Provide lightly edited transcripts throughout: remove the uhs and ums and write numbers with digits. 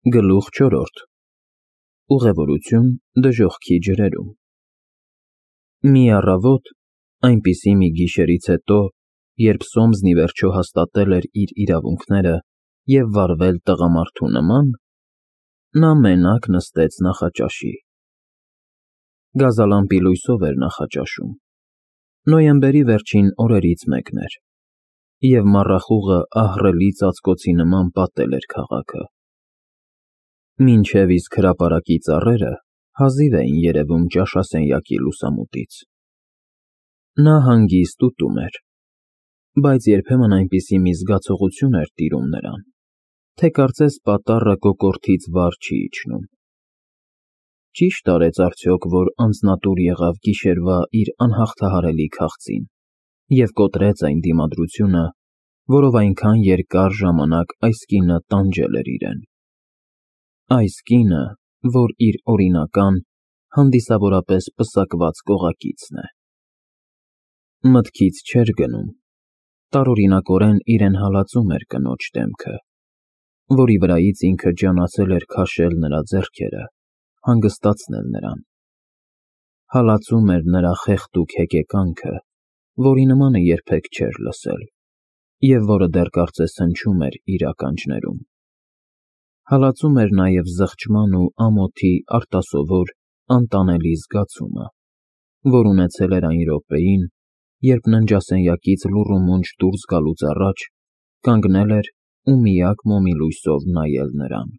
Գլուխ 4. Ուղևորություն դժոխքի ջրերում։ Մի առավոտ, այնպիսի մի գիշերից հետո, երբ Սոմսն ի վերջո հաստատել էր իր իրավունքները և վարվել տղամարդու նման, նա մենակ նստեց նախաճաշի։ Գազալամպի լույսով էր նախաճաշում։ Նոյեմբերի վերջին օրերից մեկն էր, և մառախուղը ահռելի ծածկոցի նման պատել էր քաղաքը։ Մինչև իսկ հրապարակի ծառերը հազիվ էին երևում ճաշասենյակի լուսամուտից։ Նա հանգիստ ուտում էր, բայց երբեմն այնպիսի մի զգացողություն էր տիրում նրան, թե կարծես պատառը կոկորդից վար չի իջնում։ Ճի՞շտ արեց արդյոք, որ անձնատուր եղավ գիշերվա իր անհաղթահարելի քաղցին և կոտրեց այն դիմադրությունը, որով այնքան երկար ժամանակ այս կինը տանջել էր իրեն։ Այս կինը, որ իր օրինական, հանդիսավորապես պսակված կողակիցն է։ Մտքից չէր գնում, տարօրինակորեն իրեն հալածում էր կնոջ դեմքը, որի վրայից ինքը ջանացել էր քաշել նրա ձեռքերը, հանգստացնել նրան։ Հալածում էր նրա խեղդուկ հեկեկանքը, որի նմանը երբեք չէր լսել, և որը դեռ կարծես հնչում էր իր ականջներում։ Հալածում էր նաև զղջման ու ամոթի արտասովոր, անտանելի զգացումը, որ ունեցել էր այն րոպեին, երբ ննջասենյակից լուռ ու մունջ դուրս գալուց առաջ կանգնել էր ու միակ մոմի լույսով նայել նրան։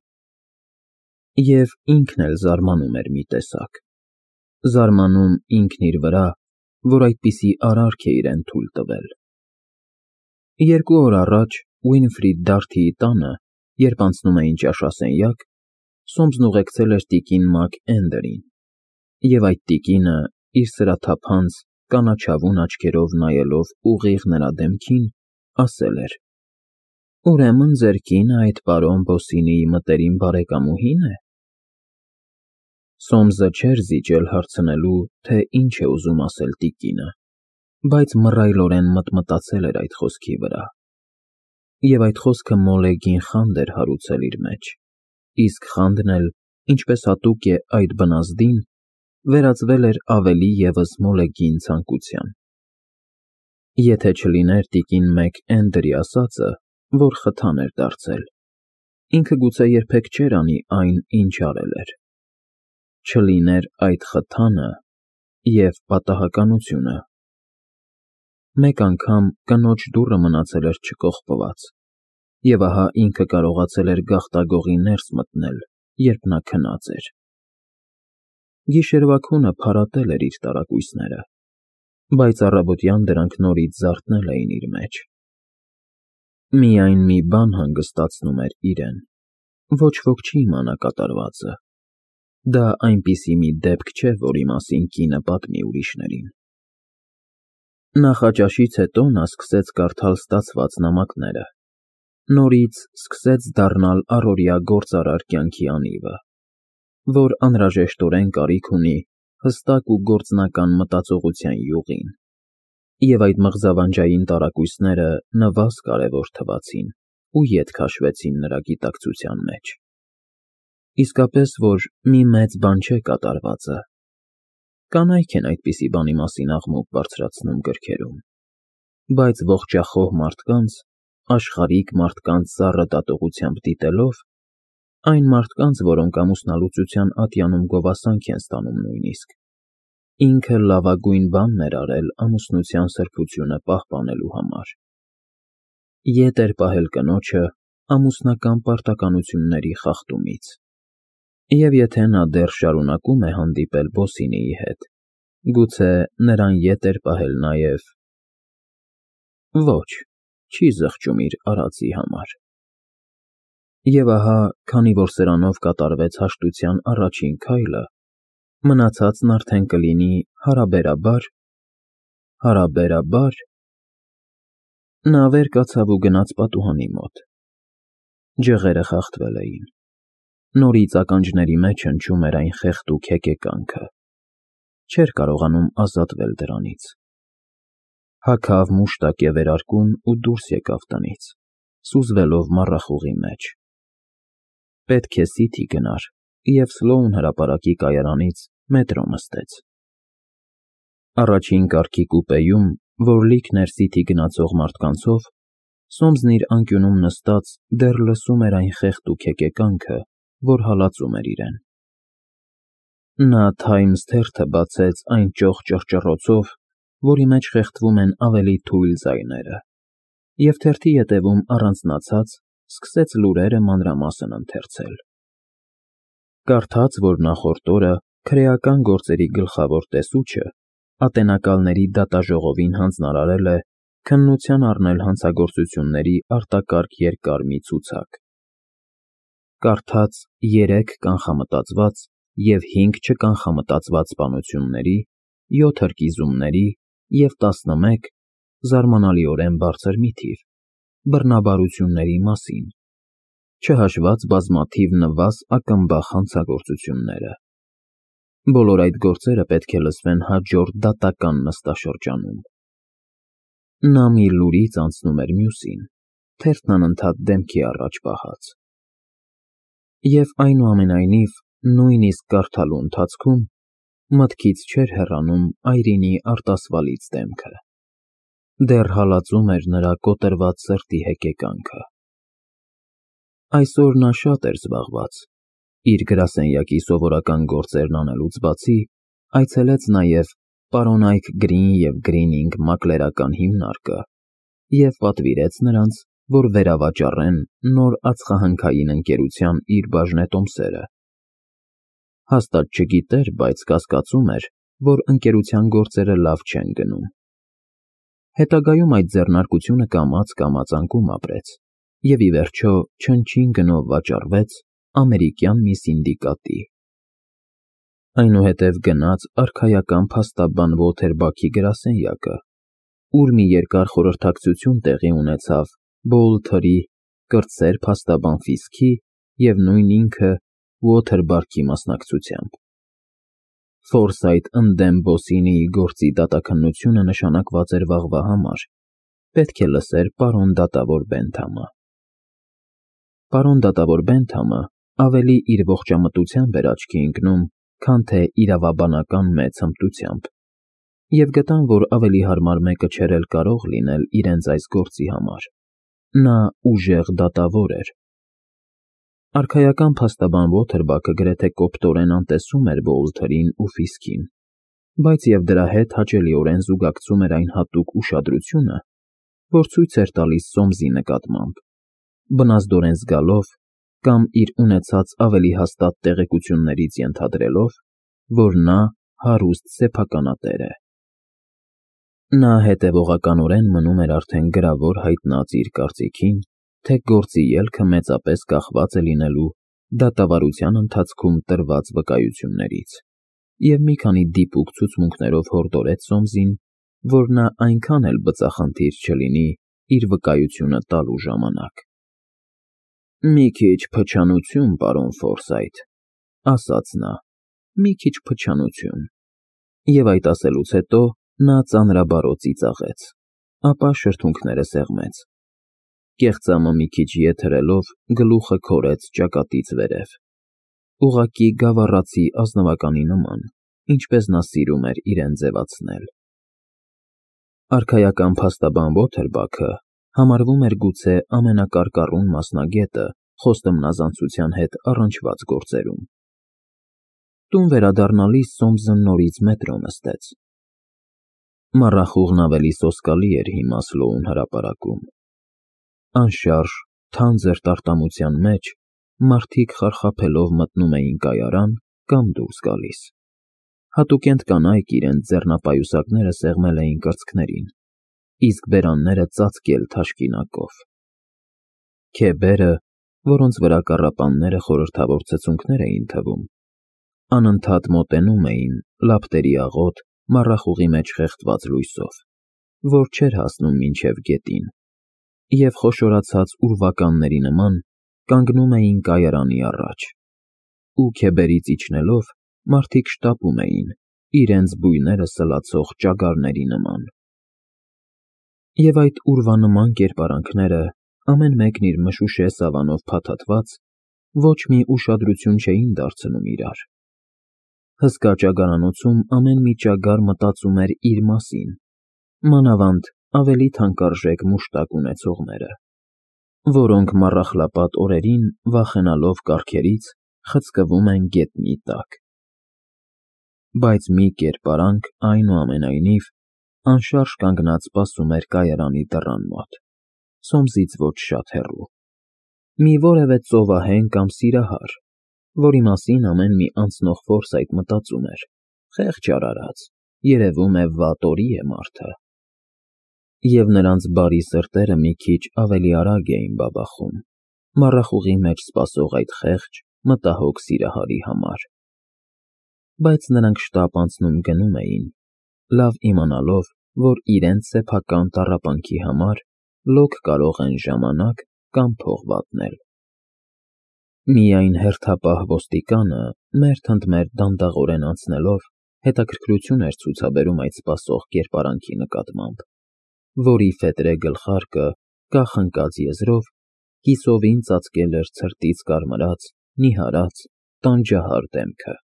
Եվ ինքն էլ զարմանում էր մի տեսակ, զարմանում ինքն իր վրա, որ այդպիսի արարք է իրեն թույլ տվել։ 2 օր առաջ Ուինֆրիդ Դարթիի տանը, երբ անցնում էին ճաշասենյակ, Սոմսն ուղեկցել էր տիկին Մակ Էնդերին, և այդ տիկինը, իր սրաթափանց, կանաչավուն աչքերով նայելով ուղիղ նրա դեմքին, ասել էր. «Ուրեմն ձեր կինը այդ պարոն Բոսինիի մտերիմ բարեկամուհի՞ն է»։ Սոմսը չէր զիջել հարցնելու, թե ինչ է ուզում ասել տիկինը, բայց մռայլորեն մտմտացել էր այդ խոսքի վրա։ Եվ այդ խոսքը մոլեգին խանդ էր հարուցել իր մեջ, իսկ խանդն էլ, ինչպես հատուկ է այդ բնազդին, վերածվել էր ավելի ևս մոլեգին ցանկության։ Եթե չլիներ տիկին Մեք Էնդերի ասածը, որ խթան էր դարձել, ինքը գուցե երբեք չէր անի այն, ինչ արել էր։ Չլիներ այդ խթանը և պատահականությունը։ Մեկ անգամ կնոջ դուռը մնացել էր չկողպված, և ահա ինքը կարողացել էր գաղտագողի ներս մտնել, երբ նա քնած էր։ Գիշերվա քունը փարատել էր իր տարակույսները, բայց առավոտյան դրանք նորից զարթնել էին իր մեջ։ Միայն մի բան հանգստացնում էր իրեն. ոչ ոք չի իմանա կատարվածը։ Դա այնպիսի մի դեպք չէ, որի մասին կինը պատմի ուրիշներին։ Նախաճաշից հետո նա սկսեց կարդալ ստացված նամակները, նորից սկսեց դառնալ առօրյա գործարար կյանքի անիվը, որ անհրաժեշտորեն կարիք ունի հստակ ու գործնական մտածողության յուղին, և այդ մղձավանջային տարակույսները նվազ կարևոր թվացին ու ետ քաշվեցին նրա գիտակցության մեջ։ Իսկապես, որ մի մեծ բան չէ կատարվածը։ Կանայք են այդպիսի բանի մասին աղմուկ բարձրացնում գրքերում, բայց ողջախոհ մարդկանց, աշխարհիկ մարդկանց սառը դատողությամբ դիտելով, այն մարդկանց, որոնք ամուսնալուծության ատյանում գովասանք են ստանում նույնիսկ, ինքը լավագույն բանն էր արել ամուսնության սրբությունը պահպանելու համար։ Ետ էր պահել կնոջը ամուսնական պարտականությունների խախտումից։ Եվ եթե նա դեռ շարունակում է հանդիպել Բոսինիի հետ, գուցե նրան ետ էր պահել նաև… Ոչ, չի զղջում իր արածի համար։ Եվ ահա, քանի որ սրանով կատարվեց հաշտության առաջին քայլը, մնացածն արդեն կլինի հարաբերաբար… Նա վեր կացավ ու գնաց պատուհանի մոտ։ Ջղերը խախտվել էին։ Նորից ականջների մեջ հնչում էր այն խեղդուկ հեկեկանքը։ Չէր կարողանում ազատվել դրանից։ Հագավ մուշտակե վերարկուն ու դուրս եկավ տնից, սուզվելով մառախուղի մեջ։ Պետք է Սիթի գնար և Սլոուն հրապարակի կայարանից մետրո նստեց։ Առաջին կարգի կուպեում, որ լիքն էր Սիթի գնացող մարդկանցով, Սոմսն իր անկյունում նստած դեռ լսում էր այն խեղճ հեկեկանքը, որ հալածում էր իրեն։ Նա Թայմս թերթը բացեց այն ճոխ ճռճռոցով, որի մեջ խեղդվում են ավելի թույլ ձայները, և թերթի ետևում առանձնացած սկսեց լուրերը մանրամասն ընթերցել։ Կարդաց, որ նախորդ օրը քրեական գործերի գլխավոր տեսուչը Ատենակալների դատաժողովին հանձնարարել է քննության առնել հանցագործությունների արտակարգ երկար մի ցուցակ։ Կարդաց 3 կանխամտածված և 5 չկանխամտածված սպանությունների, 7 հրկիզումների և 11 զարմանալիորեն բարձր մի թիվ բռնաբարությունների մասին, չհաշված բազմաթիվ նվազ ակնբախ հանցագործությունները։ Բոլոր այդ գործերը պետք է լսվեն հաջորդ դատական նստաշրջանում։ Նա մի լուրից անցնում էր մյուսին, թերթն անընդհատ դեմքի առաջ պահած։ Եվ այնուամենայնիվ, նույնիսկ կարդալու ընթացքում մտքից չէր հեռանում այրինի արտասվալից դեմքը։ Դեռ հալածում էր նրա կոտրված սրտի հեկեկանքը։ Այսօր նա շատ էր զբաղված։ Իր գրասենյակի սովորական գործերն անելուց բացի, այցելեց նաև պարոն Այք Գրին և Գրինինգ մակլերական հիմնարկը և պատվիրեց նրանց, որ վերավաճառեն նոր ածխահնքային ընկերության իր բաժնետոմսերը։ Հաստատ չգիտեր, բայց կասկածում էր, որ ընկերության գործերը լավ չեն գնում։ Հետագայում այդ ձեռնարկությունը կամաց անկում ապրեց և ի վերջո չնչին գնով վաճառվեց ամերիկյան մի սինդիկատի։ Այնուհետև գնաց արքայական փաստաբան Ոթերբաքի գրասենյակը, ուր մի երկար խորհրդակցություն տեղի ունեցավ Բոլթերի, կրտսեր փաստաբան Ֆիսքի և նույն ինքը Ոթերբաքի մասնակցությամբ։ Ֆորսայթ ընդդեմ Բոսինիի գործի դատաքննությունը նշանակված էր վաղվա համար, պետք է լսեր պարոն դատավոր Բենթամը։ Պարոն դատավոր Բենթամը ավելի իր ողջամտությամբ էր աչքի ընկնում, քան թե իրավաբանական մեծ հմտությամբ, և գտան, որ ավելի հարմար մեկը չէր էլ կարող լինել իրենց այս գործի համար։ Նա ուժեղ դատավոր էր։ Արքայական փաստաբան Ոթերբաքը գրեթե կոպտորեն անտեսում էր Բոլթերին ու Ֆիսքին, բայց և դրա հետ հաճելիորեն զուգակցում էր այն հատուկ ուշադրությունը, որ ցույց էր տալիս Սոմսի նկատմամբ, բնազդորեն զգալով կամ իր ունեցած ավելի հաստատ տեղեկություններից ենթադրելով, որ նա հարուստ սեփականատեր է։ Նա հետևողականորեն մնում էր արդեն գրավոր հայտնած իր կարծիքին, թե գործի ելքը մեծապես կախված է լինելու դատավարության ընթացքում տրված վկայություններից, և մի քանի դիպուկ ցուցմունքներով հորդորեց Սոմսին, որ նա այնքան էլ բծախնդիր չլինի իր վկայությունը տալու ժամանակ։ «Մի քիչ փչանություն, պարոն Ֆորսայթ», ասաց նա, «մի քիչ փչանություն»։ Եվ այդ ասելուց հետո նա ծանրաբառո ծիծաղեց, ապա շրթունքները սեղմեց։ Կեղծամը մի քիչ ետ հրելով գլուխը քորեց ճակատից վերև, ուղղակի գավառացի ազնվականի նման, ինչպես նա սիրում էր իրեն ձևացնել։ Արքայական փաստաբան Ոթերբաքը համարվում էր գուցե ամենակարկառուն մասնագետը խոստմնազանցության հետ առնչված գործերում։ Տուն վերադառնալիս Սոմսը նորից մետրո նստեց։ Մառախուղն ավելի սոսկալի էր հիմա Սլոուն հրապարակում։ Անշարժ, թանձր տարտամության մեջ մարդիկ խարխափելով մտնում էին կայարան կամ դուրս գալիս։ Հատուկենտ կանայք իրենց ձեռնապայուսակները սեղմել էին կրծքներին, իսկ բերանները ծածկել թաշկինակով։ Քեբերը, որոնց վրա կառապանները խորհրդավոր ցցունքներ էին թվում, անընդհատ մոտենում էին լապտերի աղոտ մառախուղի մեջ խեղդված լույսով, որ չէր հասնում մինչև գետին, և խոշորացած ուրվականների նման կանգնում էին կայարանի առաջ, ու քեբերից իջնելով մարդիկ շտապում էին, իրենց բույները սլացող ճագարների նման։ Եվ այդ ուրվանման կերպարանքները, ամեն մեկն իր մշուշե սավանով փաթաթված, ոչ մի ուշադրություն չէին դարձնում իրար։ Հսկա ճագարանոցում ամեն մի ճագար մտածում էր իր մասին, մանավանդ ավելի թանկարժեք մուշտակ ունեցողները, որոնք մառախլապատ օրերին, վախենալով կառքերից, խցկվում են գետնի տակ։ Բայց մի կերպարանք, այնուամենայնիվ, անշարժ կանգնած սպասում էր կայարանի դռան մոտ, Սոմսից ոչ շատ հեռու։ Մի որևէ ծովահեն կամ սիրահար, որի մասին ամեն մի անցնող ֆորսայթ մտածում էր. խեղճ արարած, երևում է վատ օրի է մարդը։ Եվ նրանց բարի սրտերը մի քիչ ավելի արագ էին բաբախում, մառախուղի մեջ սպասող այդ խեղճ, մտահոգ սիրահարի համար։ Բայց նրանք շտապ անցնում գնում էին, լավ իմանալով, որ իրենց սեփական տառապանքի համար լոկ կարող են ժամանակ կամ փող վատնել։ Միայն հերթապահ ոստիկանը մերթ ընդ մերթ դանդաղորեն անցնելով հետաքրքրություն էր ցուցաբերում այդ սպասող կերպարանքի նկատմամբ, որի ֆետրե գլխարկը, կախնկած եզրով, կիսովին ծածկել էր ցրտից կարմրած, նիհարած, տանջահար դեմքը։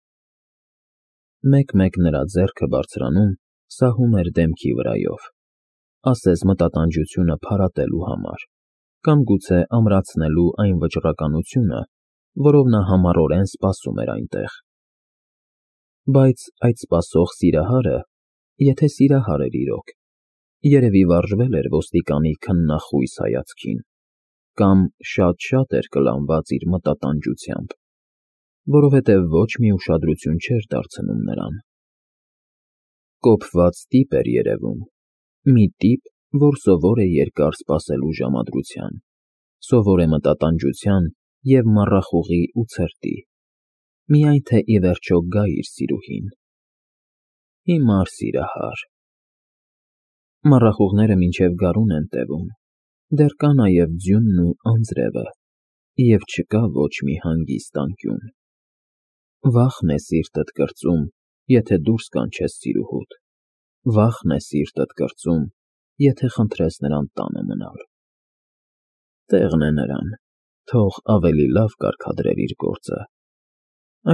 Մեկ-մեկ նրա ձեռքը բարձրանում, սահում էր դեմքի վրայով, ասես մտատանջությունը փարատելու համար, կամ գուցե ամրացնելու այն վճռականությունը, որով նա համառորեն սպասում էր այնտեղ։ Բայց այդ սպասող սիրահարը, եթե սիրահար էր իրոք, երևի վարժվել էր ոստիկանի քննախույս հայացքին, կամ շատ-շատ էր կլանված իր մտատանջությամբ, որովհետև ոչ մի ուշադրություն չէր դարձնում նրան։ Կոփված տիպ էր երևում, մի տիպ, որ սովոր է երկար սպասելու ժամադրության, սովոր է մտատանջության և մառախուղի ու ցրտի, միայն թե ի վերջո գա իր սիրուհին։ Հիմար սիրահար։ Մառախուղները մինչև գարուն են տևում, դեռ կա նաև ձյունն ու անձրևը, և չկա ոչ մի հանգիստ անկյուն։ Վախն է սիրտդ կրծում, եթե դուրս կանչես սիրուհուդ, վախն է սիրտդ կրծում, եթե խնդրես նրան տանը մնալ։ Տեղն է նրան, թող ավելի լավ կարգադրեր իր գործը,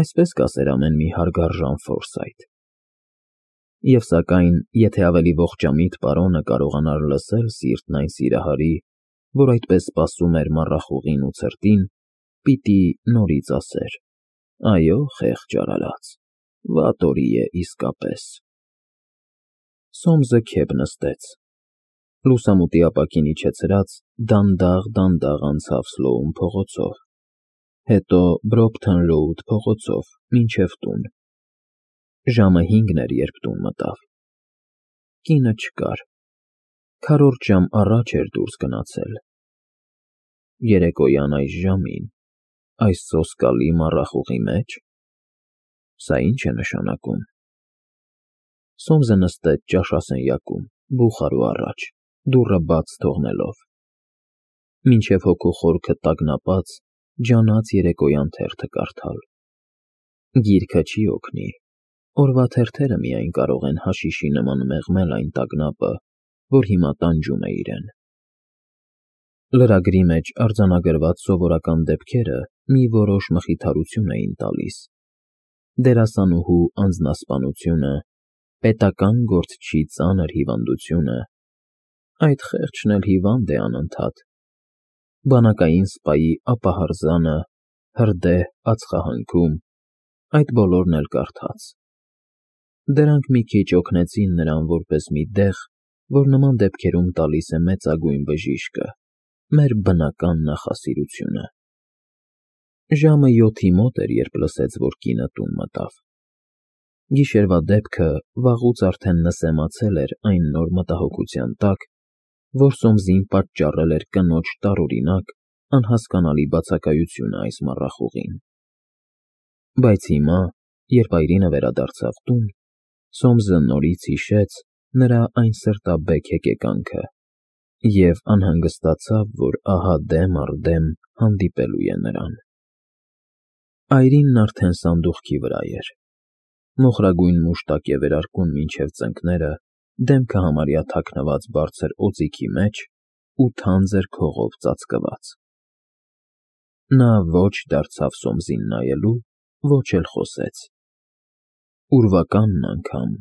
այսպես կասեր ամեն մի հարգարժան Ֆորսայթ։ Եվ սակայն, եթե ավելի ողջամիտ պարոնը կարողանար լսել սիրտն այն սիրահարի, որ այդպես սպասում էր մառախուղին ու ցրտին, պիտի նորից ասեր. այո, խեղճ արարած, վատ օրի է իսկապես։ Սոմսը քեփ նստեց։ Լուսամուտի ապակին իջեցրած, դանդաղ անցավ Սլոուն փողոցով, հետո Բրոփթոն Ռոուդ փողոցով մինչև տուն։ Ժամը 5 էր, երբ տուն մտավ։ Կինը չկար, քառորդ ժամ առաջ էր դուրս գնացել։ Երեկոյան այս ժամին, այս սոսկալի մառախուղի մեջ, սա ի՞նչ է նշանակում։ Սոմսը նստեց ճաշասենյակում, բուխարու առաջ, դուռը բաց թողնելով։ Մինչև հոգու խորքը տագնապած, ջանաց երեկոյան թերթը կարդալ։ Գիրքը չի օգնի, օրվա թերթերը միայն կարող են հաշիշի նման մեղմել այն տագնապը, որ հիմա տանջում է իրեն։ Լրագրի մեջ արձանագրված սովորական դեպքերը մի որոշ մխիթարություն էին տալիս. դերասանուհու անձնասպանությունը, պետական գործչի ծանր հիվանդությունը, այդ խեղճն էլ հիվանդ է անընդհատ, բանակային սպայի ապահարզանը, հրդեհ ածխահանքում, այդ բոլորն էլ կարդաց։ Դրանք մի քիչ օգնեցին նրան որպես մի դեղ, որ նման դեպքերում տալիս է մեծագույն բժիշկը, մեր բնական նախասիրությունը։ Ժամը 7-ի մոտ էր, երբ լսեց, որ կինը տուն մտավ։ Գիշերվա դեպքը վաղուց արդեն նսեմացել էր այն նոր մտահոգության տակ, որ Սոմսին պատճառել էր կնոջ տարօրինակ, անհասկանալի բացակայությունը այս մառախուղին։ Բայց հիմա, երբ այրինը վերադարձավ տուն, Սոմսը նորից հիշեց նրա այն սրտաբեկ հեկեկանքը և անհանգստացավ, որ ահա դեմ առ դեմ հանդիպելու է նրան։ Այրինն արդեն սանդուղքի վրա էր։ Մոխրագույն մուշտակ է վերարկուն մինչև ծնկները, դեմքը համարյա թաքնված բարձր օձիքի մեջ ու թանձր քողով ծածկված։ Նա ոչ դարձավ Սոմսին նայելու, ոչ էլ խոսեց։ Ուրվականն անգամ,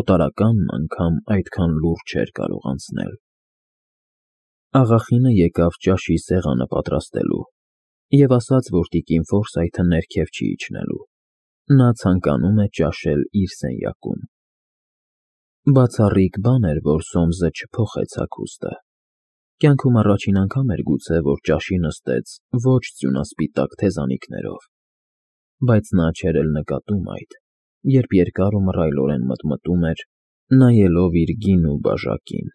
օտարականն անգամ այդքան լուրջ չէր կարող անցնել։ Աղախինը եկավ ճաշի սեղանը պատրաստելու և ասաց, որ տիկին Ֆորսայթը ներքև չի իջնելու։ Նա ցանկանում է ճաշել իր սենյակում։ Բացառիկ բան էր, որ Սոմսը չփոխեց հագուստը։ Կյանքում առաջին անգամ էր գուցե, որ ճաշի նստեց ոչ ձյունասպիտակ թեզանիքներով, բայց նա չէր էլ նկատում այդ, երբ երկար ու մռայլորեն մտմտում էր, նայելով իր գին ու բաժակին։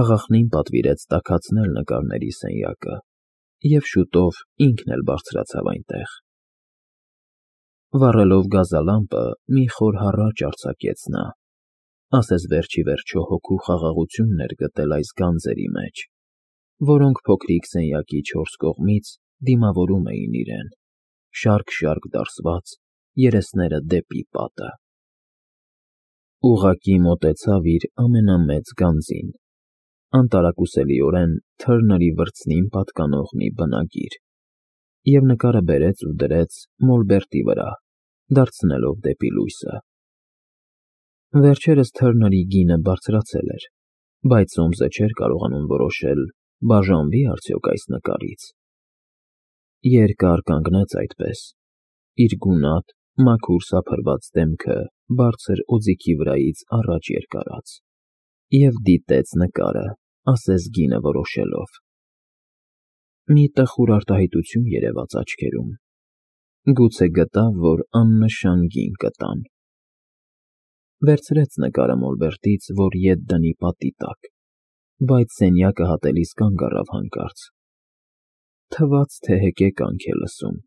Աղախնին պատվիրեց տաքացնել նկարների սենյակը, և շուտով ինքն էլ բարձրացավ այնտեղ։ Վառելով գազալամպը, մի խոր հառաչ արձակեց նա, ասես վերջ ի վերջո հոգու խաղաղությունն էր գտել այս գանձերի մեջ, որոնք փոքրիկ սենյակի չորս կողմից դիմավորում էին իրեն, շարք դարսված, երեսները դեպի պատը։ Ուղղակի մոտեցավ իր ամենամեծ գանձին, անտարակուսելիորեն Թըրների վրձնին պատկանող մի բնագիր, և նկարը բերեց ու դրեց մոլբերտի վրա, դարձնելով դեպի լույսը։ Վերջերս Թըրների գինը բարձրացել էր, բայց Սոմսը չէր կարողանում որոշել բաժանվի՞ արդյոք այս նկարից։ Երկար կանգնեց այդպես, իր գունատ, մաքուր սափրված դեմքը բարձր օձիքի վրայից առաջ երկարած, և դիտեց նկարը, ասես գինը որոշելով։ Մի տխուր արտահայտություն երևաց աչքերում։ Գուցե գտավ, որ աննշան գին կտան։ Վերցրեց նկարը մոլբերտից, որ ետ դնի պատի տակ, բայց սենյակը հատելիս կանգ առավ հանկարծ։ Թվաց, թե հեկեկանք է լսում։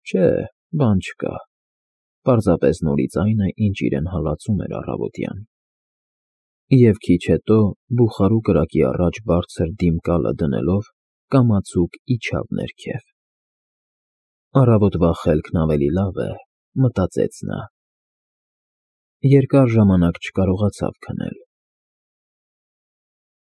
Չէ, բան չկա, պարզապես նորից այն է, ինչ իրեն հալածում էր առավոտյան։ Եվ քիչ հետո, բուխարու կրակի առաջ բարձր դիմկալը դնելով, կամացուկ իջավ ներքև։ Առավոտվա խելքն ավելի լավ է, մտածեց նա։ Երկար ժամանակ չկարողացավ քնել։